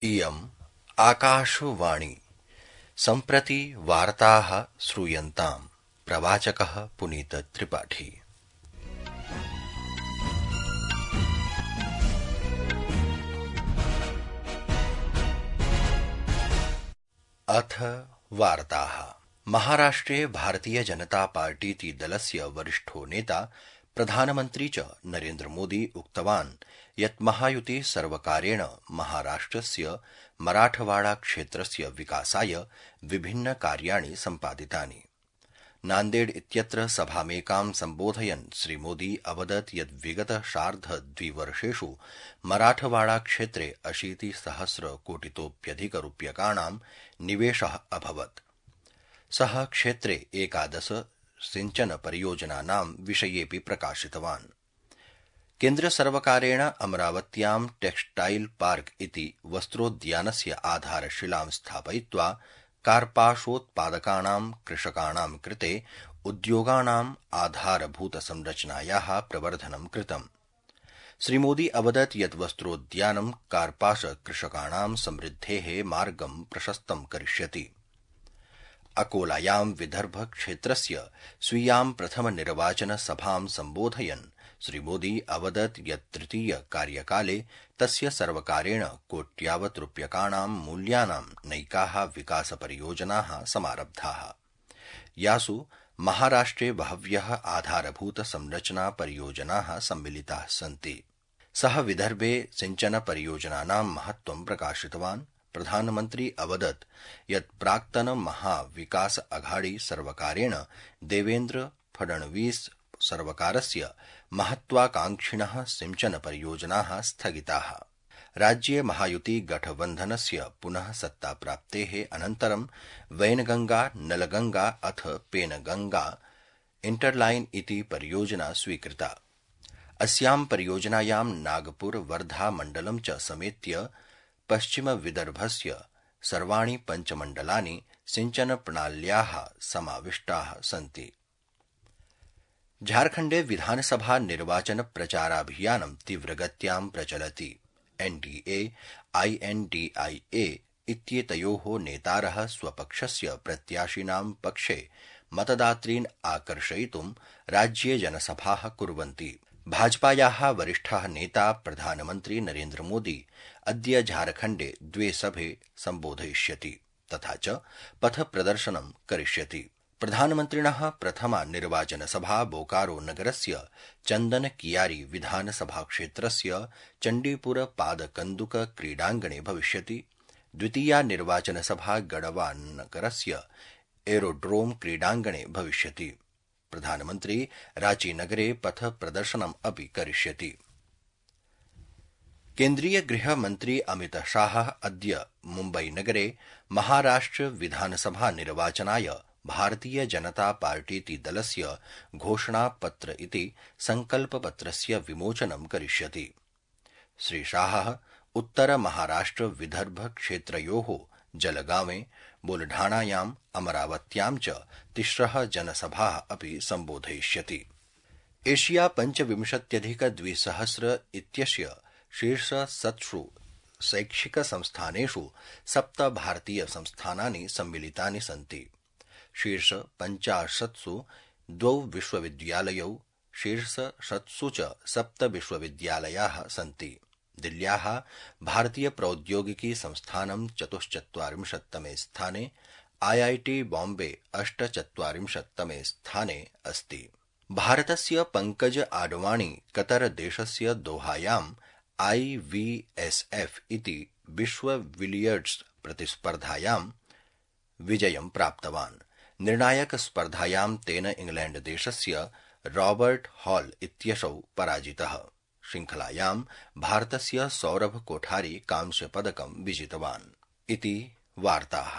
इयम् आकाशवाणी सम्प्रति वार्ताः श्रूयन्ताम्। प्रवाचकः पुनीत त्रिपाठी। अथ वार्ताः। महाराष्ट्रे भारतीय जनता पार्टीति दलस्य वरिष्ठो नेता प्रधानमन्त्री च नरेन्द्र मोदी उक्तवान् यत् महायुति सर्वकारेण महाराष्ट्रस्य मराठवाड़ा क्षेत्रस्य विकासाय विभिन्न कार्याणि सम्पादितानि। नान्देड इत्यत्र सभामेकां सम्बोधयन् श्रीमोदी अवदत् यत् विगत सार्धद्विवर्षेषु मराठवाड़ा क्षेत्रे 80,000 कोटितोऽप्यधिकरूप्यकाणां निवेशः अभवत्। सः क्षेत्रे 11 सिंचन परियोजनानां विषयेऽपि प्रकाशितवान्। केन्द्रसर्वकारेण अमरावत्यां टेक्सटाइल पार्क इति वस्त्रोद्यानस्य आधारशिलां स्थापयित्वा कार्पासोत्पादकानां कृषकाणां कृते उद्योगानाम् आधारभूतसंरचनायाः प्रवर्धनं कृतम्। श्रीमोदी अवदत् यत् वस्त्रोद्यानं कार्पास कृषकाणां समृद्धेः मार्गं प्रशस्तं करिष्यति। अकोलायां विदर्भ क्षेत्रस्य स्वीयां प्रथम निर्वाचन सभां सम्बोधयन् श्रीमोदी अवदत् यत् तृतीय कार्यकाले तस्य सर्वकारेण कोट्यावत् रूप्यकाणां मूल्यानां नैकाः विकासपरियोजनाः समारब्धाः, यासु महाराष्ट्रे बहव्यः आधारभूत संरचना परियोजनाः सम्मिलिताः सन्ति। सः विदर्भे सिंचन परियोजनानां महत्त्वं प्रकाशितवान्। प्रधानमन्त्री अवदत् यत् प्राक्तन महाविकास अघाड़ी सर्वकारेण देवेन्द्र फडणवीस सर्वकारस्य महत्वाकांक्षिणः सिंचन परियोजनाः स्थगिताः। राज्ये महायुति गठबन्धनस्य पुनः सत्ताप्राप्तेः अनन्तरं वैनगंगा नलगंगा अथ पेनगंगा इंटरलाइन इति परियोजना स्वीकृता। अस्यां परियोजनायां नागपुर वर्धा मण्डलं च समेत्य पश्चिम विदर्भस्य सर्वाणि पञ्चमण्डलानि सिंचनप्रणाल्याः समाविष्टाः सन्ति। झारखण्डे विधानसभा निर्वाचन प्रचाराभियानं तीव्रगत्यां प्रचलति। एनडीए आईएनडीआईए इत्येतयोः नेतारः स्वपक्षस्य प्रत्याशिनां पक्षे मतदातॄन् आकर्षयितुं राज्ये जनसभाः कुर्वन्ति। भाजपायाः वरिष्ठः नेता प्रधानमन्त्री नरेन्द्र मोदी अद्य झारखण्डे 2 सभे सम्बोधयिष्यति तथा च पथप्रदर्शनं करिष्यति। प्रधानमन्त्रिणः प्रथमा निर्वाचनसभा बोकारो नगरस्य चन्दनकियारी विधानसभाक्षेत्रस्य चण्डीपुर पादकन्दुक क्रीडाङ्गणे भविष्यति। द्वितीया निर्वाचनसभा गढ़वा नगरस्य एरोड्रोम क्रीडाङ्गणे भविष्यति। प्रधानमन्त्री रांचीनगरे पथ प्रदर्शनम् अपि करिष्यति। केन्द्रीय गृहमन्त्री अमित शाह अद्य मुम्बईनगरे महाराष्ट्र विधानसभा निर्वाचनाय भारतीय जनता पार्टीति दलस्य घोषणापत्र इति संकल्पपत्रस्य विमोचनं करिष्यति। श्रीशाहः उत्तर महाराष्ट्र विदर्भ क्षेत्रयोः जलगांवे बुलढाणायाम् अमरावत्यां च 3 जनसभाः अपि सम्बोधयिष्यति। एशिया 25,200 इत्यस्य शीर्षशतसु शैक्षिकसंस्थानेषु 7 भारतीयसंस्थानानि सम्मिलितानि सन्ति। शीर्ष 50सु 2 विश्वविद्यालयौ, शीर्षशतसु च 7 विश्वविद्यालयाः सन्ति। दिल्ल्याः भारतीय प्रौद्योगिकी संस्थानं 44तमे स्थाने, आईआईटी बॉम्बे 48तमे स्थाने अस्ति। भारतस्य पंकज आडवाणी कतर देशस्य दोहायां IVSF इति विश्व बिलियर्ड्स प्रतिस्पर्धायां विजयं प्राप्तवान्। निर्णायक स्पर्धायां तेन इंग्लैंड देशस्य रॉबर्ट हॉल इत्यसौ पराजितः। श्रृंखलायां भारतस्य सौरभ कोठारी कांस्यपदकं विजितवान्। इति वार्ताः।